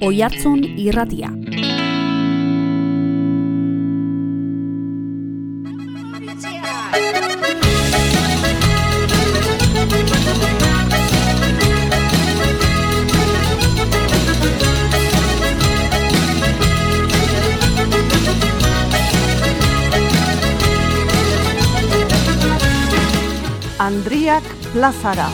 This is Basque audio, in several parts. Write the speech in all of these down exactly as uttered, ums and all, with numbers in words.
Oihartzun Irratia. Andriak plazara.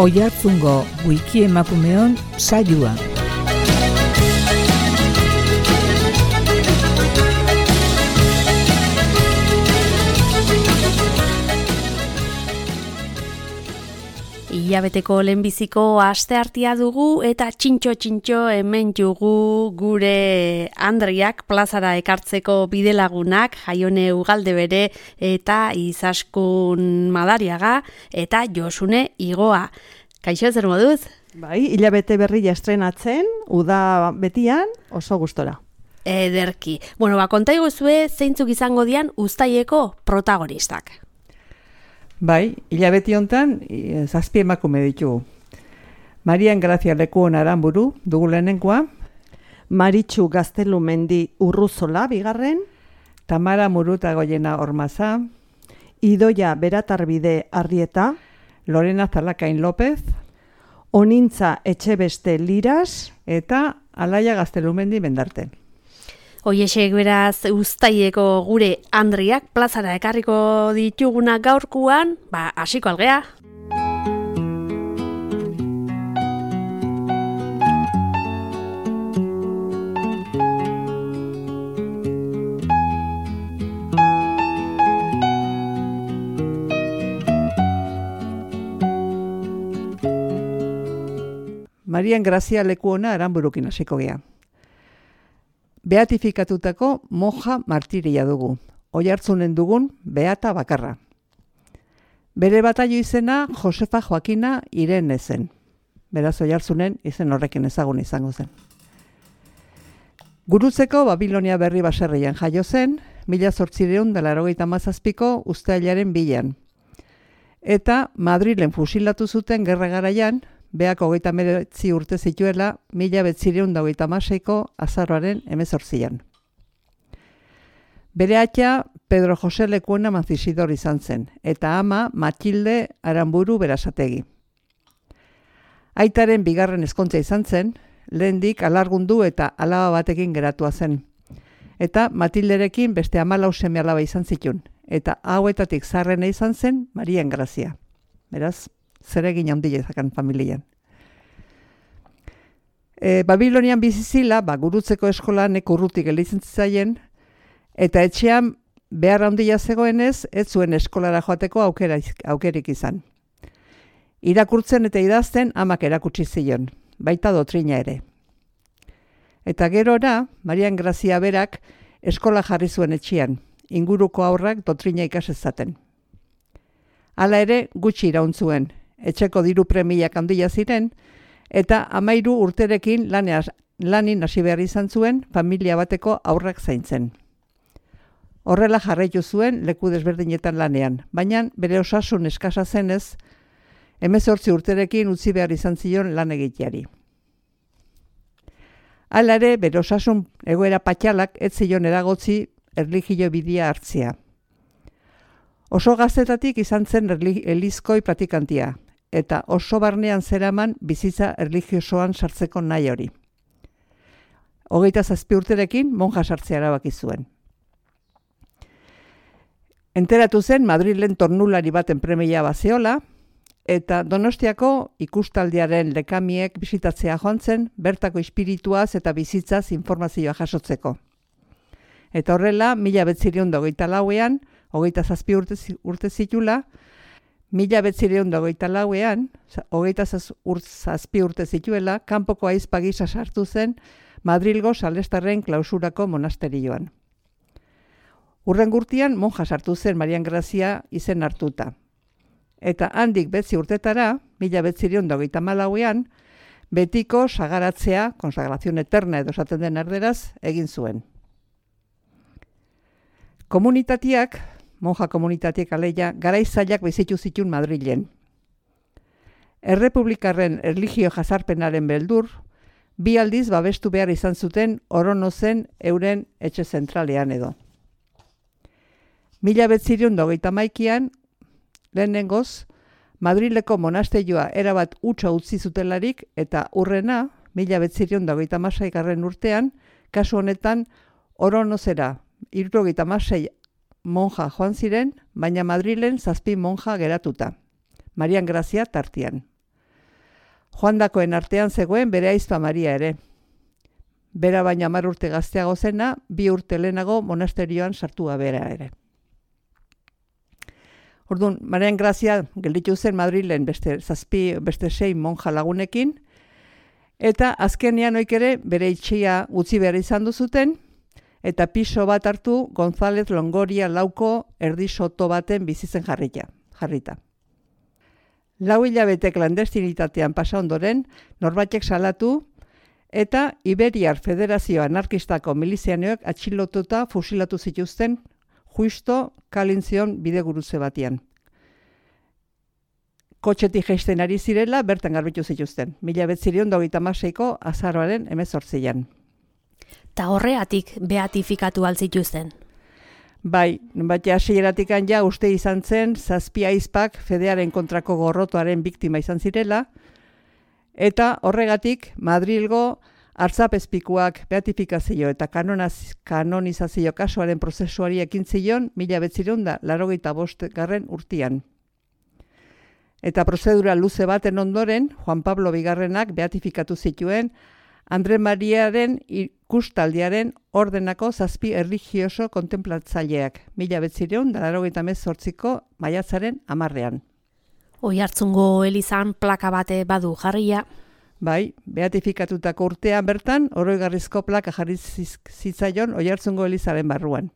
Oihartzungo wiki emakumeon saioa. Ilabeteko lehenbiziko asteartea dugu eta txintxo-txintxo hemen jugu gure Andriak plazara ekartzeko bidelagunak, Jaione Ugalde bere eta Izaskun Madariaga eta Josune Igoa. Kaixo, zer moduz? Bai, ilabete berria estrenatzen, uda betian oso gustora. Ederki. Bueno, ba, konta iguzue zeintzuk izango dian uztaileko protagonistak. Bai, hilabeti hontan zazpi emakume ditugu. Marian Grazia Lekuon Aranburu dugu lehenengoa. Maritxu Gaztelumendi Urruzola bigarren. Tamara Muruta Goiena Ormaza. Idoia Beratarbide Arrieta. Lorena Zalakain López. Onintza Etxebeste Liras. Eta Alaia Gaztelumendi Mendarten. Hoiexek beraz uztaileko gure Andriak plazara ekarriko dituguna gaurkuan, ba, hasiko algea. Marian Grazia Lekuona Aranburukin hasiko gea. Beatifikatutako monja martiria dugu, Oihartzunen dugun beata bakarra. Bere bataio izena Josefa Joakina Irene zen. Beraz Oihartzunen izen horrekin ezagun izango zen. Gurutzeko Babilonia berri baserrian jaio zen, mila zortziehun eta laurogeita hamazazpiko uztailaren bian. Eta Madrilen fusilatu zuten gerra garaian, beak hogeita hemeretzi urte zituela, mila bederatziehun eta hogeita hamaseiko azaroaren hemezortzian. Bere aita Pedro Jose Lekuona Mancisidor izan zen, eta ama Matilde Aranburu Berasategi. Aitaren bigarren ezkontza izan zen, lehendik alargundu eta alaba batekin geratua zen. Eta Matilderekin beste hamalau seme alaba izan zitun, eta hauetatik zaharrena izan zen Marian Grazia. Beraz, zeregin handia izakan familian. E, Babilonian bizizila, ba, gurutzeko eskolan urrutik elitzen zaien, eta etxean behar handia zegoenez, ez zuen eskolara joateko aukera, aukerik izan. Irakurtzen eta idazten amak erakutsi zion, baita dotrina ere. Eta gerora, Marian Grazia berak eskola jarri zuen etxean, inguruko aurrak dotrina ikasezaten. Hala ere, gutxi iraun zuen, etxeko diru premiak handia ziren, eta hamairu urterekin laneaz, lanin hasi behar izan zuen familia bateko aurrak zaintzen. Horrela jarraitu zuen leku desberdinetan lanean, baina bere osasun eskasa zenez, hemezortzi urterekin utzi behar izan zion lan egiteari. Hala ere, bere osasun egoera patxalak ez zion eragotzi erlijio bidea hartzea. Oso gaztetatik izan zen elizkoi pratikantia, eta oso barnean zeraman bizitza erlijiosoan sartzeko nahi hori. Hogeita zazpi urterekin monja sartzea erabaki zuen. Enteratu zen Madrilen tornulari baten premia bazeola, eta Donostiako ikustaldiaren lekamiek bisitatzea joan zen, bertako espirituaz eta bizitzaz informazioa jasotzeko. Eta horrela, mila bederatziehun eta hogeita lauean, hogeita zazpi urte, urte zitula, mila bederatziehun eta hogeita lauean, hogeita zazpi urte zituela, kanpoko aizpa gisa sartu zen Madrilgo Salestarren klausurako monasterioan. Urren gurtian monja sartu zen Marian Grazia izen hartuta. Eta handik betzi urtetara, mila bederatziehun eta hogeita hamalauean, betiko sagaratzea, konsagrazion eterna edo esaten den erderaz, egin zuen. Komunitateak, monja komunitateak aleia, garaizaiak bizitu zituen Madrilen. Errepublikarren erlijio jazarpenaren beldur, bi aldiz babestu behar izan zuten Oronozen euren etxe zentralean edo. Mila betzirion dogeita maikian, lehenengoz, Madrileko monasteioa erabat utza utzi zutelarik eta urrena, mila betzirion dogeita masaigarren urtean, kasu honetan Oronozera hirurogeita hamasei monja joan ziren, baina Madrilen zazpi monja geratuta, Marian Grazia tartian. Joandakoen artean zegoen bere aizpa Maria ere. Bera baina hamar urte gazteago zena, bi urte lehenago monasterioan sartua bera ere. Orduan, Marian Grazia gelditu zen Madrilen beste zazpi, beste sei monja lagunekin, eta azkenean oik ere bere itxia utzi behar izan duzuten, eta piso bat hartu González Longoria lauko erdi soto baten bizitzen jarrita. jarrita. Lau hilabete klandestinitatean pasa ondoren, norbaitek salatu, eta Iberiar Federazio Anarkistako milizianoek atxilotuta fusilatu zituzten justo Kalintzion bidegurutze batean. Kotxetik jaisten ari zirela, bertan garbitu zituzten, mila betzirion dogeita hamaseiko azaroaren hemezortzian. Ta horreatik beatifikatu altzituzten. Bai, bat hasieratik ja uste izan zen zazpi aizpak fedearen kontrako gorrotoaren biktima izan zirela, eta horregatik Madrilgo hartzapezpikuak beatifikazio eta kanonaz, kanonizazio kasuaren prozesuari ekin zion mila betzirion da laurogeita bost garren urtian. Eta prozedura luze baten ondoren, Juan Pablo bigarrenak beatifikatu zituen Andre Mariaren ikustaldiaren ordenako zazpi erlijioso kontemplatzaileak, mila betzirion da laurogeita hemezortziko maiatzaren hamarrean. Oihartzungo elizan plaka bate badu jarria. Bai, beatifikatutako urtean bertan, oroigarrizko plaka jarri zitzaion Oihartzungo elizaren barruan.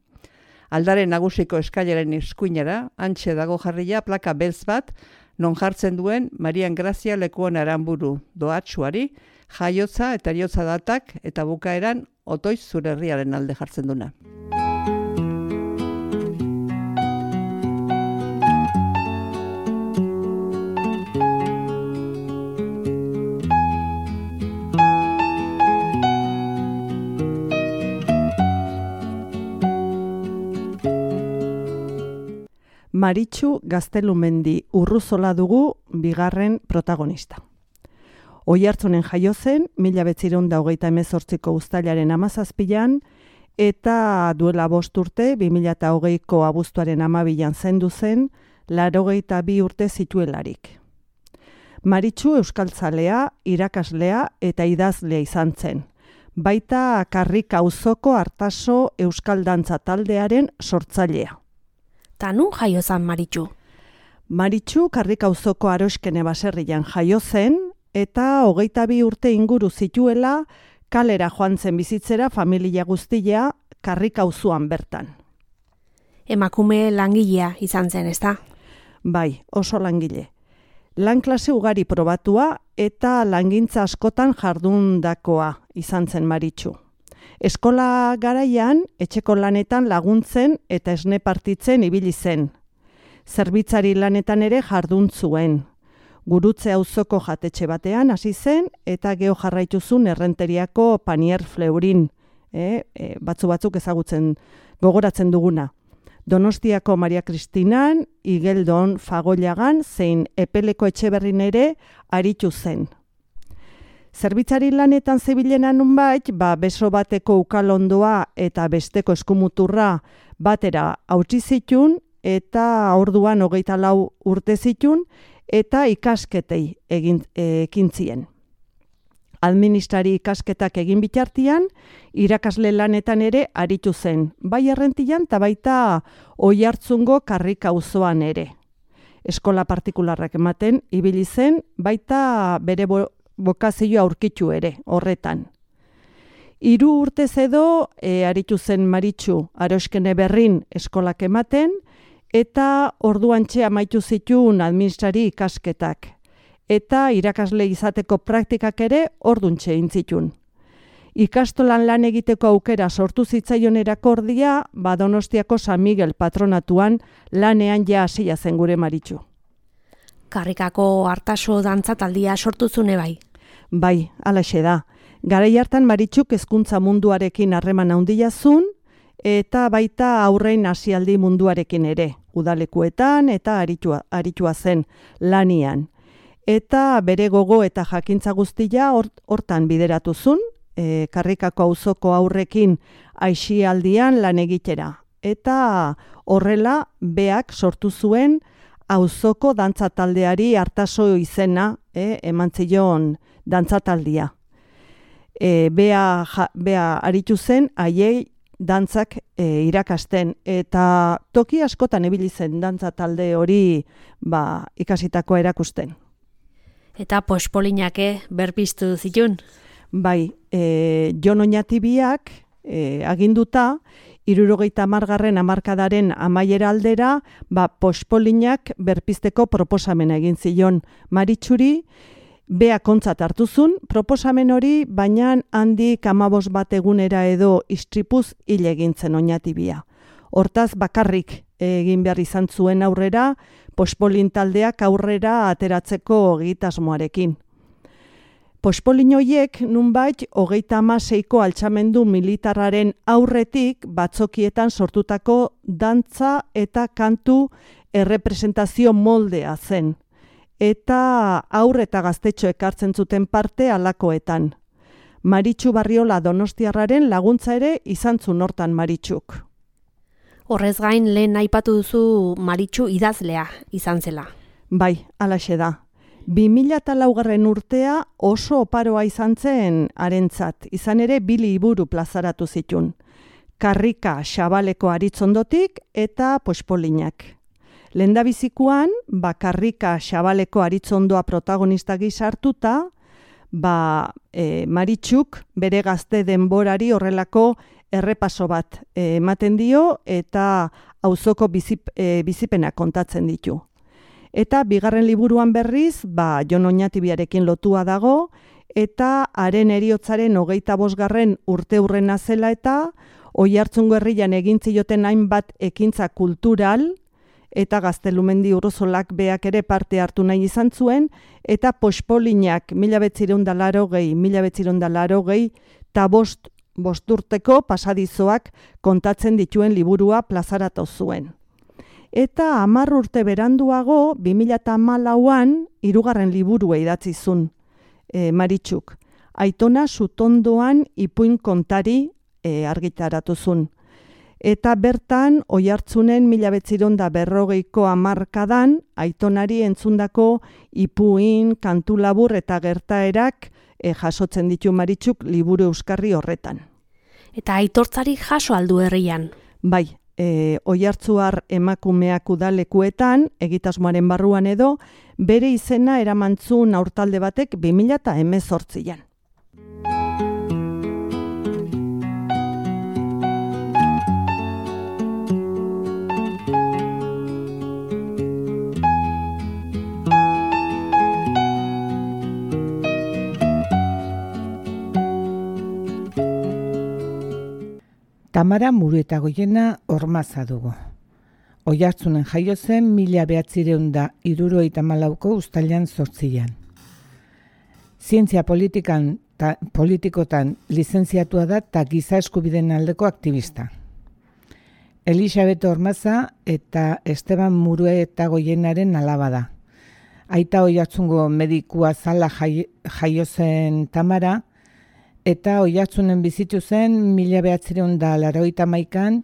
Aldaren nagusiko eskailaren eskuinera, hantxe dago jarria plaka beltz bat, non jartzen duen Marian Grazia lekuan aranburu doatsuari, jaiotza eta eriotza datak eta bukaeran otoiz zure herriaren alde jartzen duna. Maritxu Gaztelumendi Urruzola dugu bigarren protagonista. Oihartzunen jaio zen, mila betzirion da hogeita hemezortziko uztailaren hamazazpian, eta duela bost urte, bi mila hogeiko abuztuaren hamabian zendu zen, laurogeita bi urte zituelarik. Maritxu euskaltzalea, irakaslea eta idazlea izan zen. Baita Karrik auzoko Artaso euskal dantza taldearen sortzailea. Ta nun jaio zen Maritxu? Maritxu Karrik auzoko Aroskene baserrian jaio zen, eta hogeita bi urte inguru zituela kalera joan zen bizitzera familia guztia Karrik auzoan bertan. Emakume langilea izan zen, ezta? Bai, oso langile. Lan klase ugari probatua eta langintza askotan jardundakoa izan zen Maritxu. Eskola garaian, etxeko lanetan laguntzen eta esne partitzen ibili zen. Zerbitzari lanetan ere jardun zuen. Gurutze auzoko jatetxe batean hasi zen eta geho jarraitu zuen Errenteriako Panier Fleurin, e, e, batzu batzuk ezagutzen gogoratzen duguna. Donostiako Maria Kristinan, Igeldon Fagollagan zein Epeleko Etxeberrin ere aritu zen. Zerbitzari lanetan zebilena nunbait, ba, beso bateko ukalondoa eta besteko eskumuturra batera hautsi zitun eta orduan hogeita lau urte zitun eta ikasketei egin ekintzien. Administrari ikasketak egin bitartian, irakasle lanetan ere aritu zen, bai Errentian eta baita Oihartzungo Karrik auzoan ere. Eskola partikularrak ematen ibili zen, baita bere bo bokazioa aurkitu ere, horretan. Hiru urtez edo e, aritu zen Maritxu Aroskene berrin eskolak ematen, eta orduantxe amaitu zituen administrari ikasketak. eta irakasle izateko praktikak ere orduntxe egin zitun. Ikastolan lan egiteko aukera sortu zitzaion erakordia, ba Donostiako San Miguel patronatuan lanean ja hasia zen gure Maritxu. Karrikako Artaso dantzataldia sortu zune bai. Bai, halaxe da. Garai hartan Maritxuk hezkuntza munduarekin harreman handia zuen eta baita aurrein hasialdi munduarekin ere, udalekuetan eta aritua, aritua zen lanian. Eta bere gogo eta jakintza guztia hortan bideratu zuen, E, Karrikako auzoko aurrekin aisialdian lan egitera. Eta horrela beak sortu zuen auzoko dantzataldeari Artaso izena e, eman zion dantzataldia. E, bea, ja, bea aritu zen haiei dantzak e, irakasten eta toki askotan ibili zen dantzatalde hori ba, ikasitako erakusten. Eta pospolinake berpiztu zitun? Bai, e, Jon Oñatibiak e, aginduta, hirurogeita hamargarren hamarkadaren amaiera aldera, ba, pospolinak berpizteko proposamena egin zion Maritxuri, bea kontzat hartuzun, proposamen hori, baina handik hamabos bat egunera edo istripuz hil egin zen Oñatibia. Hortaz bakarrik egin behar izan zuen aurrera, pospolin taldeak aurrera ateratzeko egitasmoarekin. Pospolin horiek nunbait hogeita hamaseiko altxamendu militarraren aurretik batzokietan sortutako dantza eta kantu errepresentazio moldea zen. Eta aur eta gaztetxo ekartzen zuten parte halakoetan. Maritxu Barriola Donostiarraren laguntza ere izan zuen hortan Maritxuk. Horrez gain lehen aipatu duzu Maritxu idazlea izan zela. Bai, halaxe da. bi mila laugarren urtea oso oparoa izan zen harentzat, izan ere bi liburu plazaratu zitun. Karrika Xabaleko Aritzondotik eta Pospolinak. Lehendabizikoan, ba Karrika Xabaleko Aritzondoa protagonista gisa hartuta, ba e, Maritxuk bere gazte denborari horrelako errepaso bat ematen dio eta auzoko bizip, e, bizipena kontatzen ditu. Eta bigarren liburuan berriz, ba, Jon Oñatibiarekin lotua dago, eta haren heriotzaren hogeita bosgarren urte hurrena zela eta Oiartzungo herrian egin zioten hainbat ekintza kultural, eta Gaztelumendi Urozolak beak ere parte hartu nahi izan zuen, eta Pospolinak mila bederatziehun eta laurogei, mila bederatziehun eta laurogei, eta bost, bost urteko pasadizoak kontatzen dituen liburua plazaratu zuen. Eta hamar urte beranduago, bi mila hamalauan, hirugarren liburua idatzi zuen e, Maritxuk. Aitona Sutondoan ipuin kontari e, argitaratu zuen. Eta bertan, Oiartzunen mila bederatziehun eta berrogeiko hamarkadan, Aitonari entzundako ipuin, kantu labur eta gertaerak e, jasotzen ditu Maritxuk liburu euskarri horretan. Eta aitortzari jaso aldu herrian? Bai. E, Oiartzuar emakumeak udalekuetan, egitasmoaren barruan edo, bere izena eramantzun aurtalde batek bi mila hemezortzian. Tamara Muruetagoiena Ormaza dugu. Oiartzunen jaio zen mila bederatziehun eta hirurogeita hamalauko uztailean zortzian. Zientzia politikan ta, politikotan lizentziatua da eta giza eskubideen aldeko aktivista. Elisabet Ormaza eta Esteban Muruetagoienaren alaba da. Aita Oiartzungo medikua zala jai, jaio zen Tamara, eta Oiartzunen bizitu zen mila bederatziehun eta laurogeita hamaikan,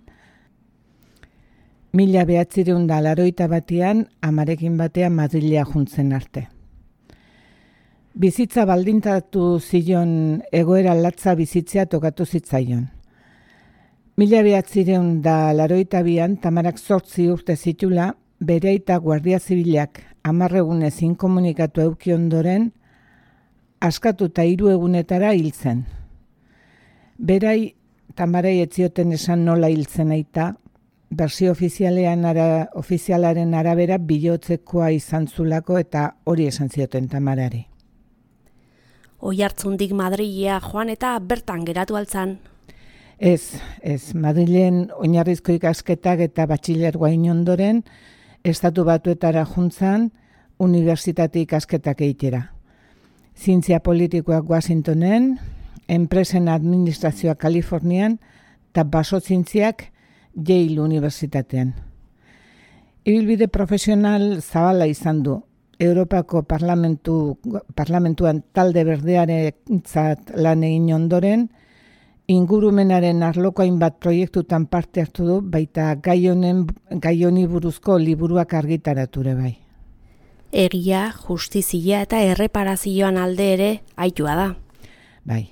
mila bederatziehun eta laurogeita batean amarekin batean Madrilea juntzen arte. Bizitza baldintatu zion egoera latza bizitzea tokatu zitzaion. Mila bederatziehun eta laurogeita bian Tamarak zortzi urte zitula, bere aita Guardia Zibilak hamar egunez inkomunikatu eduki ondoren, askatuta hiru egunetara hil zen. Berai, Tamarai ez zioten esan nola hil zen aita, bersio ofizialean ara, ofizialaren arabera bilotzekoa izan zulako eta hori esan zioten Tamarari. Oihartzundik Madrilea joan eta bertan geratu altzan. Ez, ez, Madrilen oinarrizko ikasketak eta batxilergoa ondoren, Estatu Batuetara juntzan, unibertsitate ikasketak egitera. Zientzia politikoak Washingtonen, enpresen administrazioa Kalifornian, eta basozientziak Yale Unibertsitatean. Ibilbide profesional zabala izan du. Europako parlamentu, parlamentuan talde berdearentzat lan egin ondoren, ingurumenaren arloko hainbat proiektutan parte hartu du, baita gai honen gai honi buruzko liburuak argitarature bai. Egia, justizia eta erreparazioan alde ere aitua da. Bai.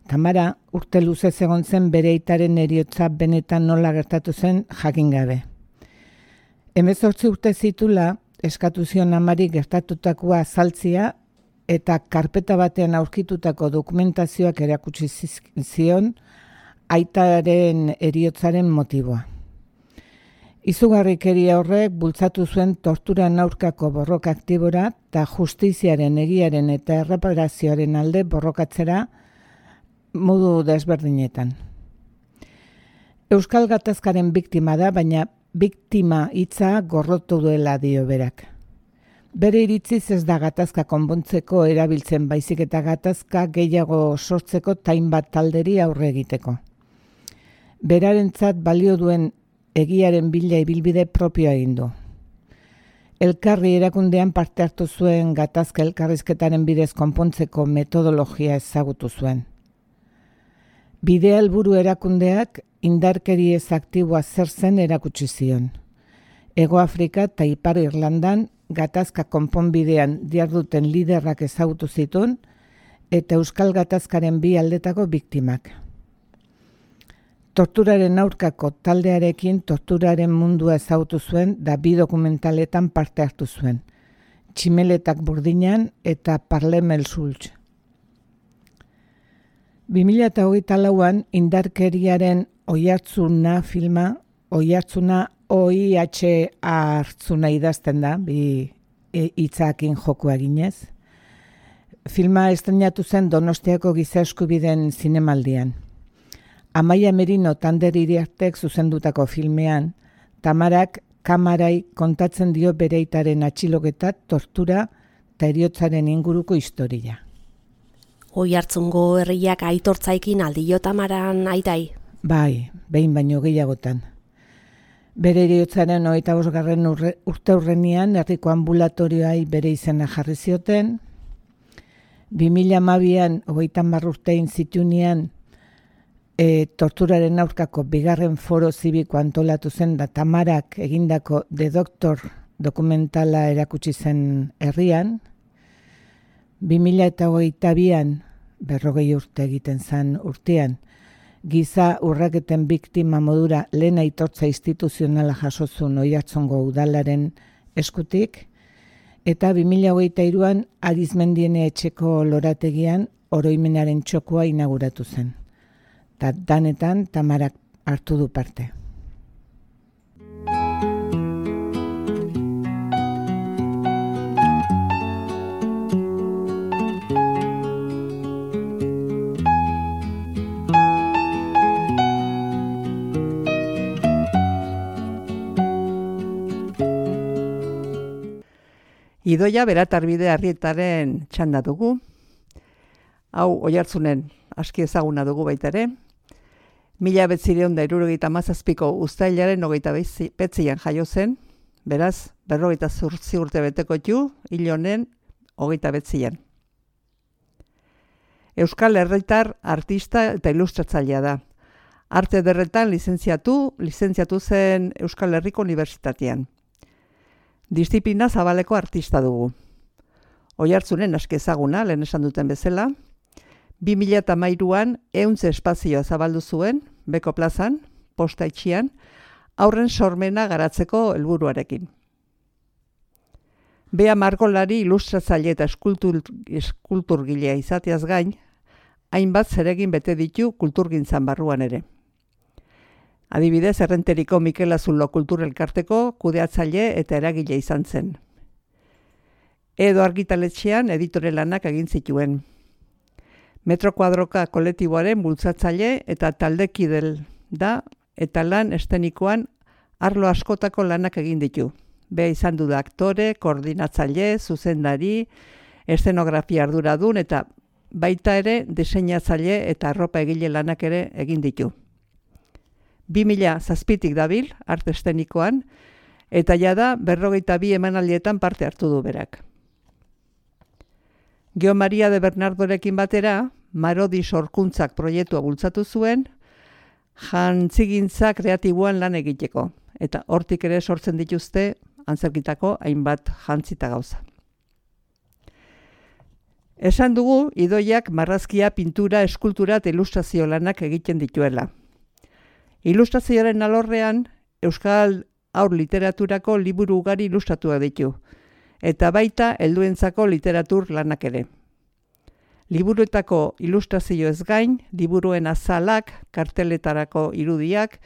Tamara urte luze egon zen bere aitaren heriotza benetan nola gertatu zen jakin gabe. Hemezortzi urte zitula eskatu zion amari gertatutakoa azaltzea eta karpeta batean aurkitutako dokumentazioak erakutsi zion aitaren heriotzaren motiboa. Izugarrikeria horrek bultzatu zuen torturan aurkako borroka aktibora eta justiziaren, egiaren eta erreparazioaren alde borrokatzera modu desberdinetan. Euskal gatazkaren biktima da, baina biktima hitza gorrotu duela dio berak. Bere iritziz ez da gatazka konpontzeko erabiltzen baizik eta gatazka gehiago sortzeko tain bat talderi aurre egiteko. Berarentzat balio duen egiaren bila ibilbide propioa egin du. Elkarri erakundean parte hartu zuen gatazka elkarrizketaren bidez konpontzeko metodologia ezagutu zuen. Bidea helburu erakundeak indarkeri ez aktiboa zer zen erakutsi zion. Hego Afrika eta Ipar Irlandan gatazka konponbidean diharduten liderrak ezagutu zituen eta Euskal gatazkaren bi aldetako biktimak. Torturaren aurkako taldearekin torturaren mundua ezagutu zuen da bi dokumentaletan parte hartu zuen. Tximeletak Burdinan eta Parlemel Sultz. bi mila hogeita lauan indarkeriaren Oihartzuna filma, Oihartzuna O I H A hartzuna idazten da, bi hitzakin jokua eginez. Filma estrenatu zen Donostiako Giza Eskubideen zinemaldian. Amaia Merino Tander Iriartek zuzendutako filmean, Tamarak kamarai kontatzen dio bere aitaren atxiloketa, tortura eta heriotzaren inguruko historia. Oihartzungo herriak aitortzaikin aldio Tamaran aitai. Bai, behin baino gehiagotan. Bere heriotzaren hogeita bosgarren urte hurrenean herriko ambulatorioai bere izena jarri zioten. bi mila hamabian hogeita hamar urtein zituenean e, torturaren aurkako bigarren foro zibiko antolatu zen da Tamarak egindako The Doctor dokumentala erakutsi zen herrian. bi mila hogeita bian, berrogei urte egiten zen urtean, giza urraketen biktima modura lehen aitortza instituzionala jasozun Oihartzungo udalaren eskutik, eta bi mila hogeita hiruan Arizmendiene etxeko lorategian oroimenaren txokoa inauguratu zen. Ta danetan Tamarak hartu du parte. Idoia Beratarbide Arrietaren txanda dugu. Hau Oihartzunen aski ezaguna dugu baita ere. Mila bederatzizero eta hirurogeita hamazazpiko uztailaren hogeita bederatzian jaio zen, beraz, berrogeita zortzi urte beteko ditu, hil honen hogeita bederatzian. Euskal herritar artista eta ilustratzailea da. Arte ederretan lizentziatu, lizentziatu zen Euskal Herriko Unibertsitatean. Diziplina zabaleko artista dugu. Oihartzunen aski ezaguna, lehen esan duten bezala, bi mila hamairuan ehunze espazioa zabaldu zuen, Beko plazan, posta itxian, aurren sormena garatzeko helburuarekin. Bea margolari ilustratzaile eta eskultur, eskulturgilea izateaz gain, hainbat zeregin bete ditu kulturgintzan barruan ere. Adibidez, Errenteriko Mikel Azulo Kulturelkarteko kudeatzaile eta eragile izan zen. Edo Argitaletxean editore lanak egin zituen. Metro Kuadroka kolektiboaren bultzatzaile eta taldekidel da eta lan estenikoan arlo askotako lanak egin ditu. Be izan du da aktore, koordinatzaile, zuzendari, eszenografia arduradun eta baita ere diseinatzaile eta arropa egile lanak ere egin ditu. bi mila zazpitik dabil arte estenikoan eta jada berrogeita bi emanaldietan parte hartu du berak. Geo Maria de Bernardorekin batera, Marodi Sorkuntzak proiektua bultzatu zuen, jantzigintza kreatiboan lan egiteko, eta hortik ere sortzen dituzte antzerkitako hainbat jantzita gauza. Esan dugu, Idoiak marrazkia, pintura, eskultura eta ilustrazio lanak egiten dituela. Ilustrazioaren alorrean, Euskal haur literaturako liburu ugari ilustratua ditu, eta baita helduentzako literatur lanak ere. Liburuetako ilustrazioez gain, liburuen azalak, karteletarako irudiak,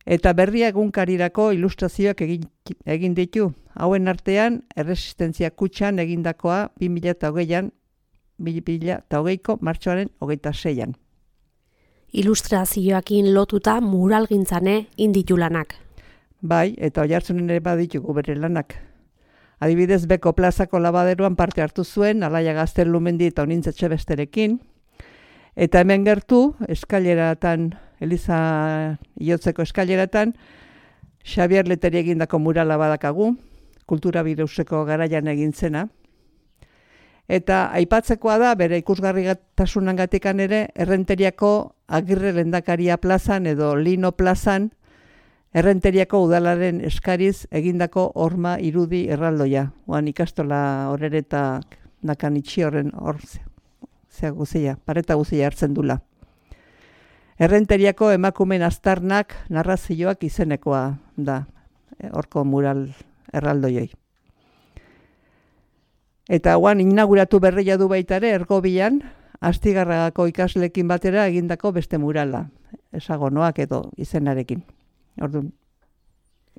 eta berria egunkarirako ilustrazioak egin, egin ditu. Hauen artean, Erresistentzia Kutxan egindakoa bi mila hogeian, bi mila hogeiko martxoaren hogeita seian. Ilustrazioakin lotuta muralgintzane inditu lanak. Bai, eta Oiartzunen ere baditugu bere lanak. Adibidez, Beko plazako labaderoan parte hartu zuen, Alaia Gaztelumendi eta Onintzetxe besterekin. Eta hemen gertu, eskaileratan, Eliza Iotzeko eskaileratan, Xabier Leteri egindako murala badakagu, kultura bireuseko garaian egin zena. Eta aipatzekoa da, bere ikusgarritasunengatikan ere, Errenteriako Agirre Lehendakaria plazan edo Lino plazan, Errenteriako udalaren eskariz egindako horma irudi erraldoia. Oan ikastola horreta nakan itxi horren hor zea guzia, pareta guzia hartzen dula. Errenteriako emakumen aztarnak narrazioak izenekoa da, horko mural erraldoioi. Eta oan inauguratu berria du baita ere, Ergobian, Astigarragako ikaslekin batera egindako beste murala, esagonoak edo izenarekin. Orduan,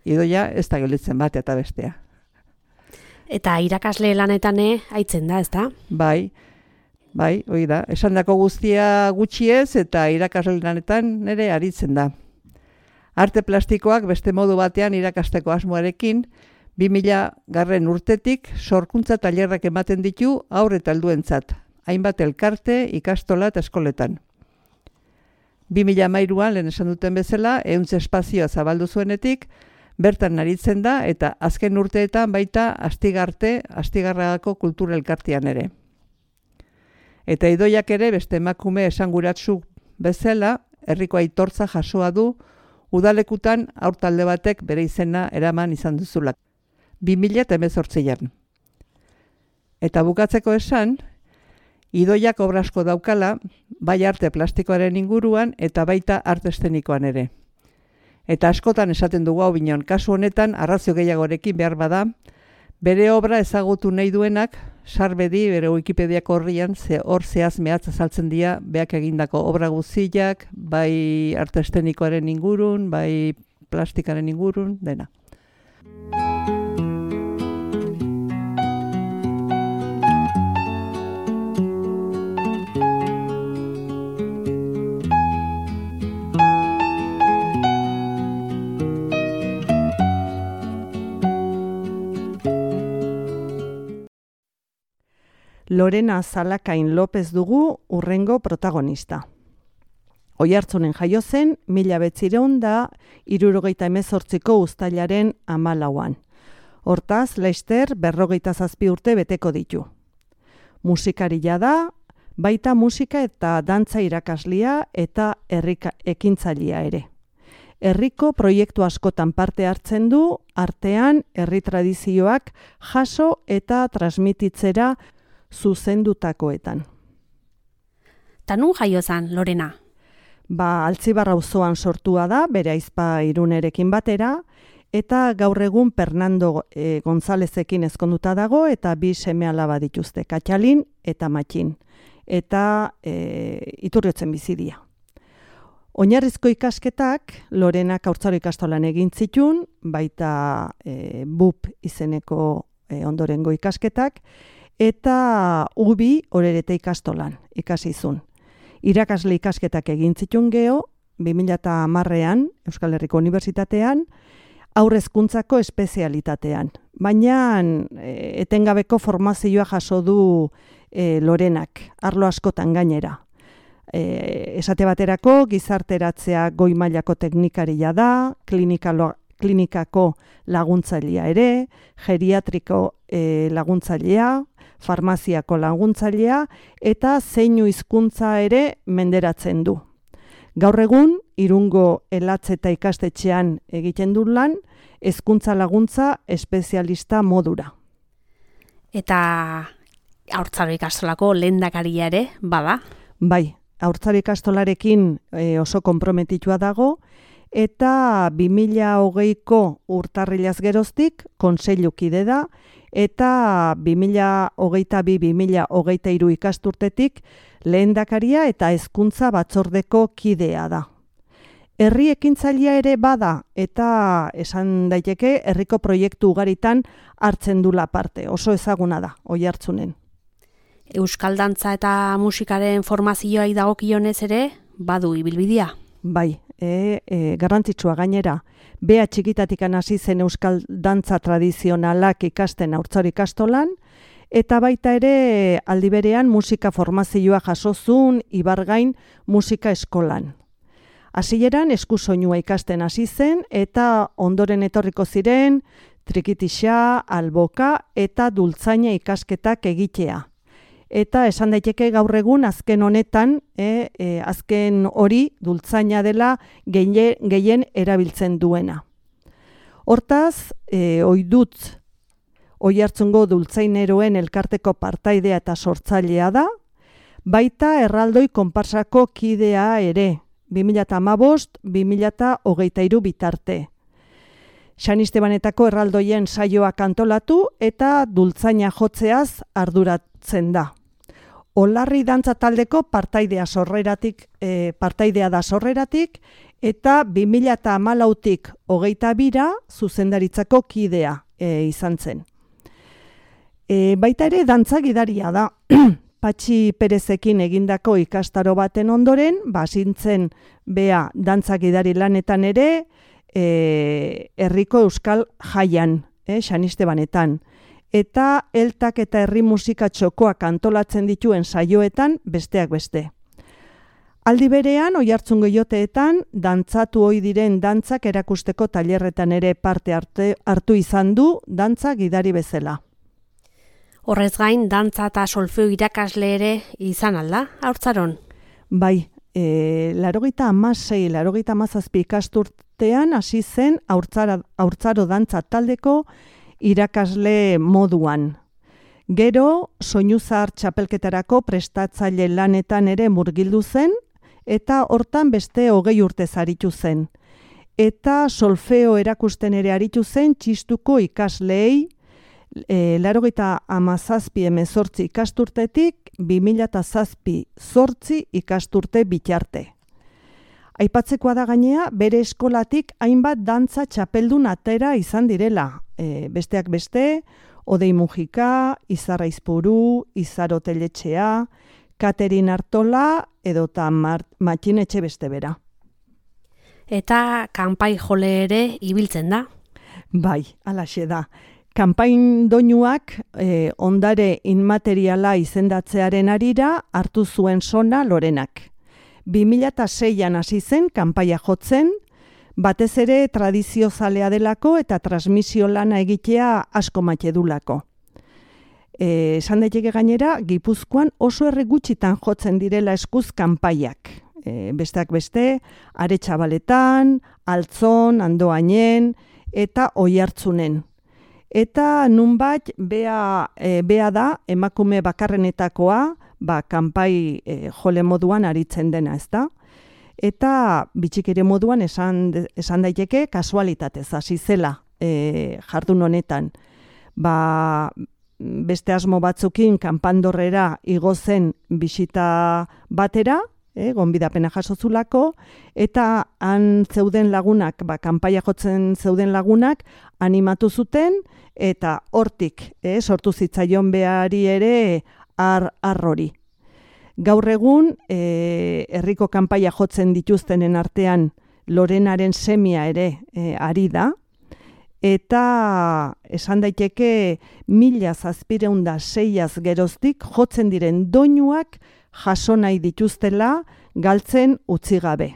Idoia ez da gelitzen bat eta bestea. Eta irakasle lanetane haitzen da, ez da? Bai, bai, hori da. Esandako guztia gutxiez eta irakasle lanetan ere aritzen da. Arte plastikoak beste modu batean irakasteko asmoarekin, bi mila garren urtetik sorkuntza tailerrak ematen ditu haur eta helduentzat, hainbat elkarte, ikastola eta eskoletan. bi mila hamairuan, lehen esan duten bezala, ehunze espazioa zabaldu zuenetik, bertan aritzen da eta azken urteetan baita Astigarte, Astigarragako kulturelkartean ere. Eta Idoiak ere beste emakume esanguratsu bezala, herriko aitortza jasoa du, udalekutan haur talde batek bere izena eraman izan duzulak. bi mila hemezortzian. Eta bukatzeko esan, Idoiak obra asko daukala, bai arte plastikoaren inguruan eta baita arte eszenikoan ere. Eta askotan esaten dugu hau binon, kasu honetan arrazio gehiagorekin behar bada, bere obra ezagutu nahi duenak, sarbedi bere Wikipediako horrian, ze hor zehaz mehatz azaltzen dira beak egindako obra guztiak, bai arte eszenikoaren ingurun, bai plastikaren ingurun, dena. Lorena Zalakain López dugu urrengo protagonista. Oiartzunen jaio zen, mila bederatziehun eta hirurogeita hemezortziko uztailaren hamalauan. Hortaz, laster berrogeita zazpi urte beteko ditu. Musikaria da, baita musika eta dantza irakaslia eta herrika ekintzailea ere. Herriko proiektu askotan parte hartzen du, artean herri tradizioak jaso eta transmititzera zuzendutakoetan. Ta nun jaio zan, Lorena? Ba, Altzibarra auzoan sortua da, bere aizpa Irunerekin batera, eta gaur egun Fernando e, Gonzalezekin ezkonduta dago, eta bi seme-alaba dituzte, Katxalin eta Matxin, eta e, Iturriotzen bizidia. Oinarrizko ikasketak Lorenak Haurtzaro ikastolan egin zitun, baita e, B U P izeneko e, ondorengo ikasketak, eta U B I Orerete ikastolan ikasizun. Irakasle ikasketak egin zitun geho, bi mila hamarrean Euskal Herriko Unibertsitatean, haurrezkuntzako espezialitatean. Baina e, etengabeko formazioa jaso du e, Lorenak, arlo askotan gainera. E, esate baterako, gizarteratzea goi mailako teknikaria da, klinikalo, klinikako laguntzailea ere, geriatriko e, laguntzailea, farmaziako laguntzailea, eta zeinu hizkuntza ere menderatzen du. Gaur egun, Irungo Elatze eta ikastetxean egiten du lan, hezkuntza laguntza espezialista modura. Eta Haurtzaro ikastolako lehendakaria ere, bada? Bai, Haurtzaro ikastolarekin e, oso konprometitua dago, eta bi mila hogeiko urtarrilaz geroztik kontseilukide da, eta bi mila hogeita bi bi mila hogeita hiru ikasturtetik lehendakaria eta hezkuntza batzordeko kidea da. Herri ekintzailea ere bada, eta esan daiteke herriko proiektu ugaritan hartzen dula parte, oso ezaguna da, Oiartzunen. Euskal dantza eta musikaren formazioai dagokionez ere, badu ibilbidea? Bai, e, e, garrantzitsua gainera. Bea txikitatik hasi zen euskal dantza tradizionalak ikasten Haurtzaro ikastolan, eta baita ere aldi berean musika formazioa jasozun Ibargain musika eskolan. Hasieran eskusoinua ikasten hasi zen eta ondoren etorriko ziren trikitixa, alboka eta dultzaina ikasketak egitea. Eta esan daiteke gaur egun azken honetan, e, e, azken hori dultzaina dela gehien, gehien erabiltzen duena. Hortaz, e, oidut Oiartzungo dultzaineroen elkarteko partaidea eta sortzailea da, baita erraldoi konparsako kidea ere, bi mila hamabost bi mila hogeita hiru bitarte. San Estebanetako erraldoien saioak antolatu eta dultzaina jotzeaz arduratzen da. Olarri dantza taldeko partaidea sorreratik, e, partaidea da sorreratik, eta bi mila hamalautik hogeita bira zuzendaritzako kidea e, izan zen. E, baita ere dantza gidaria da. Patxi Perezekin egindako ikastaro baten ondoren, basintzen bea dantza gidari lanetan ere, e, herriko euskal jaian, e, San Estebanetan. Eta eltak eta herri musika txokoak antolatzen dituen saioetan besteak beste. Aldi berean, Oiartzungo joteetan, dantzatu ohi diren dantzak erakusteko tailerretan ere parte arte, hartu izan du dantza gidari bezala. Horrez gain, dantza eta solfeo irakasle ere izan alda, Haurtzaron? Bai, e, larogeita hamasei, larogeita hamazazpi ikasturtean hasi zen Haurtzaro, Haurtzaro dantza taldeko irakasle moduan. Gero, soinu zahar txapelketarako prestatzaile lanetan ere murgildu zen, eta hortan beste hogei urte aritu zen. Eta solfeo erakusten ere aritu zen txistuko ikasleei, e, larogeita hamazazpi hemezortzi ikasturtetik, bi mila zazpi zortzi ikasturte bitarte. Aipatzekoa da gainea, bere eskolatik hainbat dantza txapeldun atera izan direla. E, besteak beste, Odei Mujika, Izarra Izpuru, Izaro Teletxea, Katerin Artola edota Matxinetxe beste bera. Eta kanpai jole ere ibiltzen da? Bai, alaxe da. Kanpain doinuak e, ondare inmateriala izendatzearen arira hartu zuen sona Lorenak. bi mila seian hasi zen kanpaia jotzen, batez ere tradizio zalea delako eta transmisio lana egitea asko maite dulako. E, esan daiteke gainera, Gipuzkoan oso erre gutxitan jotzen direla eskuz kanpaiak. E, besteak beste, Aretxabaletan, Altzon, Andoainen eta Oiartzunen. Eta nunbait bea, e, bea da emakume bakarrenetakoa, ba, kanpai e, jole moduan aritzen dena, ezta? Eta bitxikere moduan esan, esan daiteke kasualitatez hasi zela e, jardun honetan. Ba, beste asmo batzukin kanpandorrera igo zen bisita batera, e, gonbidapena jasozulako, eta han zeuden lagunak, ba, kanpaia jotzen zeuden lagunak, animatu zuten, eta hortik, e, sortu zitzaion behari ere ar, arrori. Gaur egun, e, herriko kanpaia jotzen dituztenen artean Lorenaren semia ere e, ari da, eta esan daiteke mila zazpiehun eta seiaz geroztik jotzen diren doinuak jaso nahi dituztela galtzen utzi gabe.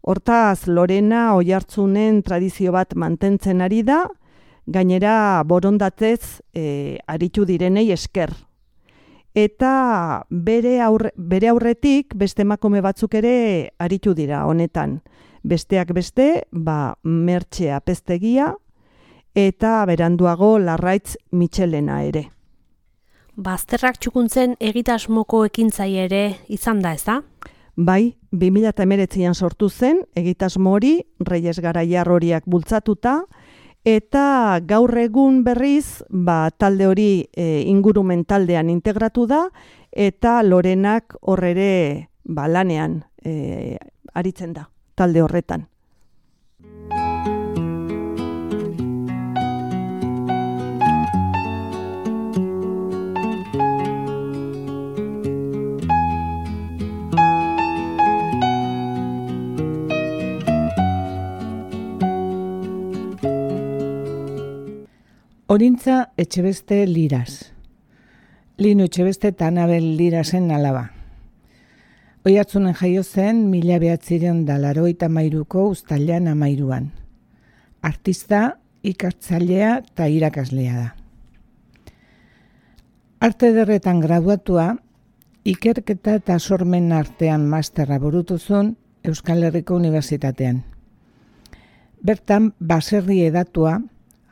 Hortaz, Lorena Oiartzunen tradizio bat mantentzen ari da, gainera borondatez e, aritu direnei esker. Eta bere, aurre, bere aurretik beste emakume batzuk ere aritu dira honetan. Besteak beste, ba, Mertxe Apeztegia, eta beranduago Larraitz Mitxelena ere. Bazterrak txukuntzen egitasmoko ekintzaile ere izan da, ez da? Bai, bi mila hemeretzian sortu zen egitasmo hori Reyes Garaiar horiak bultzatuta, eta gaur egun berriz ba, talde hori e, ingurumen taldean integratu da, eta Lorenak horrere ba, lanean e, aritzen da, talde horretan. Orintza Etxebeste Liraz. Lino Etxebeste eta Anabel Lirazen alaba. Oiartzunen jaio zen mila bederatziehun eta laurogeita hamairuko uztailean hamairuan. Artista, ikertzailea eta irakaslea da. Arte Ederretan graduatua, ikerketa eta sormen artean masterra burutu zuen Euskal Herriko Unibertsitatean. Bertan, baserri edatua,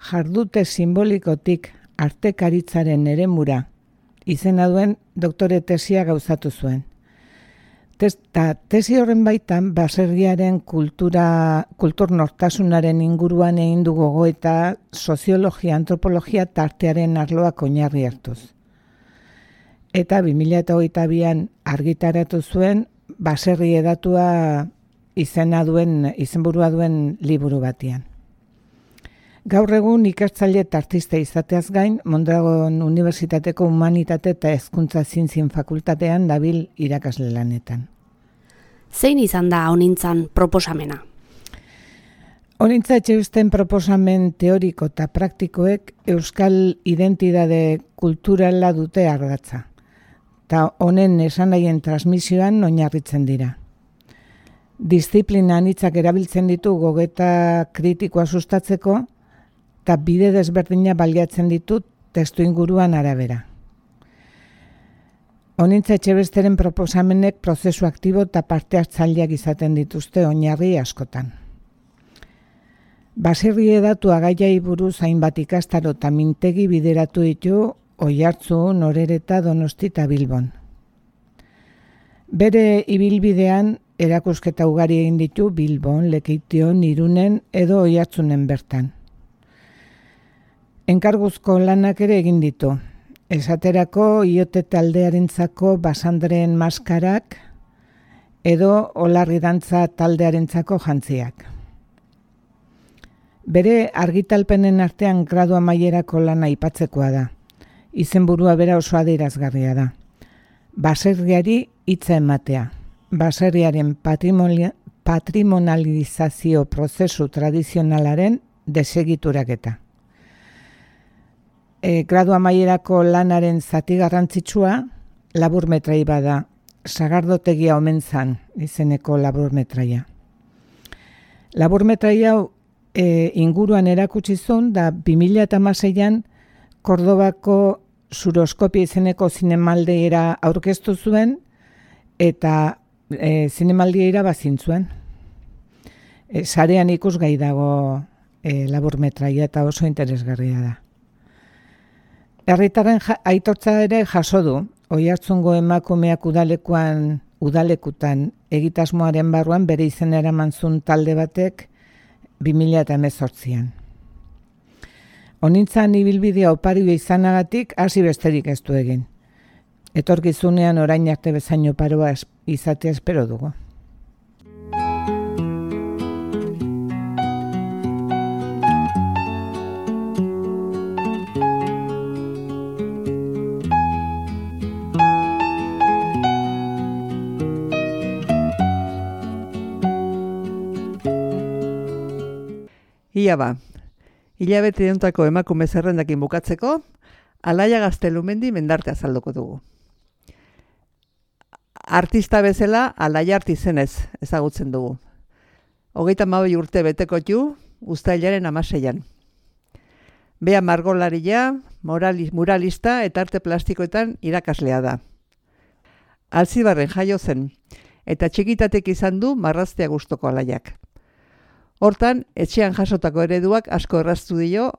jardute simbolikotik artekaritzaren eremura izena duen doktore tesia gauzatu zuen. Ta tesi horren baitan baserriaren kultura, kultur nortasunaren inguruan egin du gogoeta soziologia, antropologia eta artearen arloak oinarri hartuz. Eta bi mila hogeita bian argitaratu zuen baserri edatua izena duen, izenburua duen liburu batian. Gaur egun ikertzaile eta artista izateaz gain, Mondragon Unibertsitateko Humanitate eta Hezkuntza Zientzien Fakultatean dabil irakasle lanetan. Zein izan da honintzan proposamena? Honintza Etxebesten proposamen teoriko eta praktikoek euskal identitate kulturala dute ardatza, eta honen esanahien transmisioan oinarritzen dira. Diziplina anitzak erabiltzen ditu gogeta kritikoa sustatzeko, eta bide desberdina baliatzen ditut testu inguruan arabera. Honintza Etxebesteren proposamenek prozesu aktibo eta parte hartzaileak izaten dituzte oinarri askotan. Baserri edatua gaiai buruz hainbat ikastaro eta mintegi bideratu ditu Oiartzun, Orereta, Donosti eta Bilbon. Bere ibilbidean erakusketa ugari egin ditu Bilbon, Lekeition, Irunen edo Oiartzunen bertan. Enkarguzko lanak ere egin ditu. Esaterako Iote taldearentzako Basandren maskarak edo Olarri dantza taldearentzako jantziak. Bere argitalpenen artean gradu amaierako lana aipatzekoa da. Izenburua bera oso adierazgarria da. Baserriari hitza ematea. Baserriaren patrimonializazio prozesu tradizionalaren desegituraketa. E, gradu amaierako lanaren zati garrantzitsua laburmetrai bada, Sagardotegia omentzan izeneko laburmetraia. Laburmetrai hau e, inguruan erakutsi zuen da bi mila hamaseian Kordobako Suroskopia izeneko zinemaldiera aurkeztu zuen eta e, zinemaldiera bazin zuen. E, sarean ikusgai dago e, laburmetraia eta oso interesgarria da. Herritarren ja, aitortza ere jaso du, Oiartzungo emakumeak udalekuan, udalekutan egitasmoaren barruan bere izena eraman zuen talde batek bi mila hemezortzian. Honintzan ibilbidea oparioa izanagatik hasi besterik ez du egin. Etorkizunean orain arte bezain oparoa izatea espero dugu. Ia ba, hilabete hontako emakume zerrendakin bukatzeko, Alaia Gaztelumendi mendarte azalduko dugu. Artista bezala Alaia Artizenez ezagutzen dugu. Hogeita hamabi urte beteko ju, uztailaren hamaseian. Bea margolaria, muralista eta arte plastikoetan irakaslea da. Alzibarren jaio zen, eta txikitatek izan du marraztea gustoko Alaiak. Hortan, etxean jasotako ereduak asko erraztu dio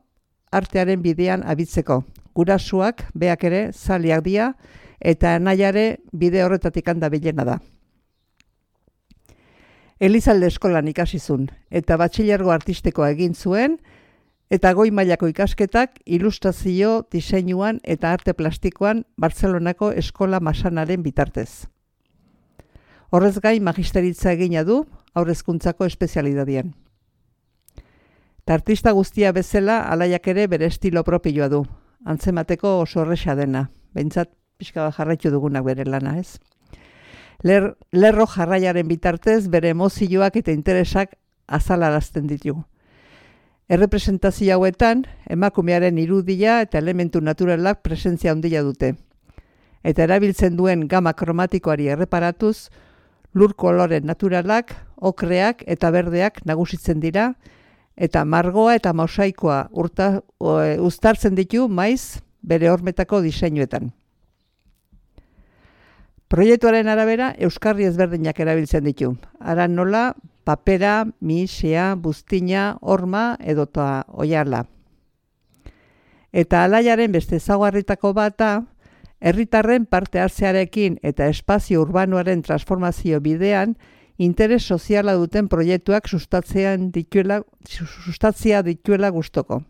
artearen bidean abitzeko. Gurasuak, beak ere, zaliak dia, eta anaiare bide horretatik handa bilena da. Elizalde eskolan ikasizun, eta batxilergo artistikoa egin zuen, eta goi mailako ikasketak ilustrazio, diseinuan eta arte plastikoan Bartzelonako eskola masanaren bitartez. Horrez gain magisteritza egina du, haurrezkuntzako espezialidadian. Ta artista guztia bezala Alaiak ere bere estilo propioa du, antzemateko oso erresa dena, behintzat pixka bat jarraitu dugunak bere lana, ez? Ler, lerro jarraiaren bitartez bere emozioak eta interesak azalarazten ditu. Errepresentazio hauetan, emakumearen irudia eta elementu naturalak presentzia handia dute. Eta erabiltzen duen gama kromatikoari erreparatuz, lur kolore naturalak, okreak eta berdeak nagusitzen dira, eta margoa eta mosaikoa urta, o, uztartzen ditu maiz bere hormetako diseinuetan. Proiektuaren arabera, euskarri ezberdinak erabiltzen ditu. Ara nola, papera, mihixea, buztina, horma edota oiala. Eta Alaiaren beste ezaugarritako bata, herritarren parte hartzearekin eta espazio urbanoaren transformazio bidean interes soziala duten proiektuak sustatzean dituela, sustatzea dituela gustoko.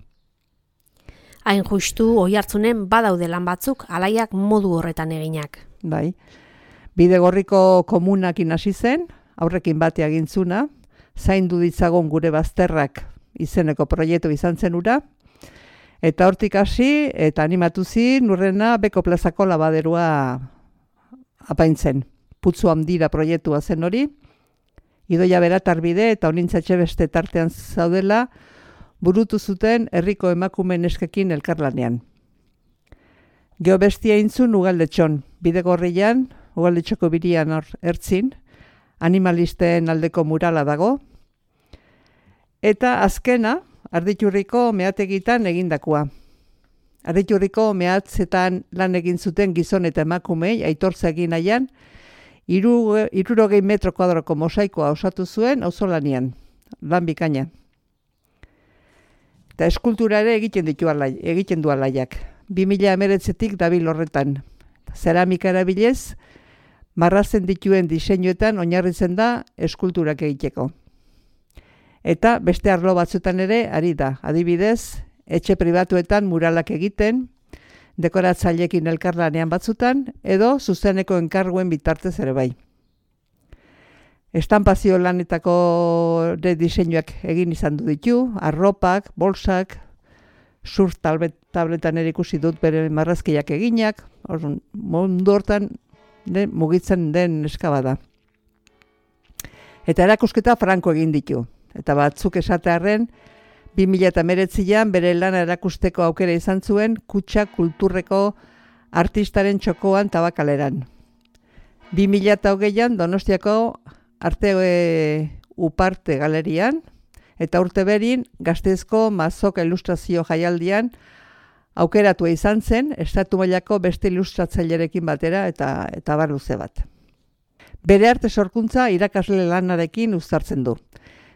Hain justu oihartzunen badaude lan batzuk Alaiak modu horretan eginak. Bai. Bidegorriko komunakin hasi zen, aurrekin bate agintzuna, zaindu ditzagon gure bazterrak izeneko proiektu izan zen ura, eta hortik hasi eta animatu zin Urrena Beko plazako labaderua apaintzen. Putzu handira proiektua zen hori, Idoia Beratarbide eta Onintzatxe beste tartean zaudela burutu zuten herriko emakume neskekin elkarlanean. Geobestia intzun Ugaldetxon, Bidegorrian, Ugaldetxoko birian hor ertzin, animalisten aldeko murala dago, eta azkena, Arditurriko meategitan egindakoa. Arditurriko mehatzetan lan egin zuten gizon eta emakumei aitortza egin nahian, hirurogei metro kuadroko mosaikoa osatu zuen auzolanian, lan bikaina. Eta eskultura ere egiten ditu alai, egiten du Alaiak. bi mila hemeretzitik dabil horretan. Zeramika erabilez, marrazen dituen diseinuetan oinarritzen da eskulturak egiteko. Eta beste arlo batzuetan ere ari da. Adibidez, etxe pribatuetan muralak egiten, dekoratzaileekin elkarlanean batzutan, edo zuzeneko enkarguen bitartez ere bai. Estanpazio lanetako de diseinuak egin izan du ditu, arropak, bolsak, surf tabletan ere ikusi dut bere marrazkiak eginak, orduan, mundu hortan de, mugitzen den eskabada. Eta erakusketa franko egin ditu, eta batzuk esatearren, bi mila hemeretzian bere lana erakusteko aukera izan zuen Kutxa Kulturreko artistaren txokoan Tabakaleran. bi mila hogeian Donostiako Arte e, Uparte Galerian, eta urte berin Gasteizko Mazoka Ilustrazio Jaialdian aukeratua izan zen estatu mailako beste ilustratzailerekin batera eta eta bar luze bat. Bere arte sorkuntza irakasle lanarekin uztartzen du.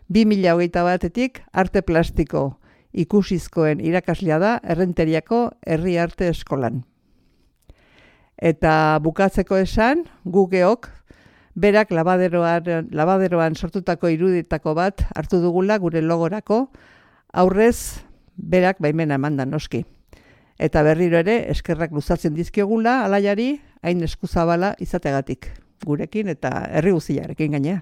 bi mila hogeita batetik arte plastiko ikusizkoen irakaslea da Errenteriako Herri Arte Eskolan. Eta bukatzeko esan, gu geok, berak labaderoan, labaderoan sortutako iruditako bat hartu dugula gure logorako, aurrez berak baimena emanda noski. Eta berriro ere eskerrak luzatzen dizkiogula Alaiari hain eskuzabala izategatik. gurekin eta herri guztiarekin gainea.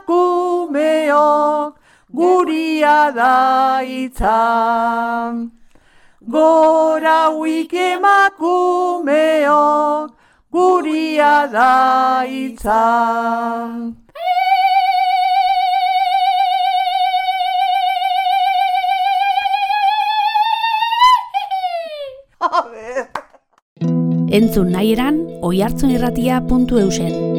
Emakumeok guria da hitza. Gora huik emakumeok guria da hitza. Entzun nahi eran oihartzunirratia puntu eusen.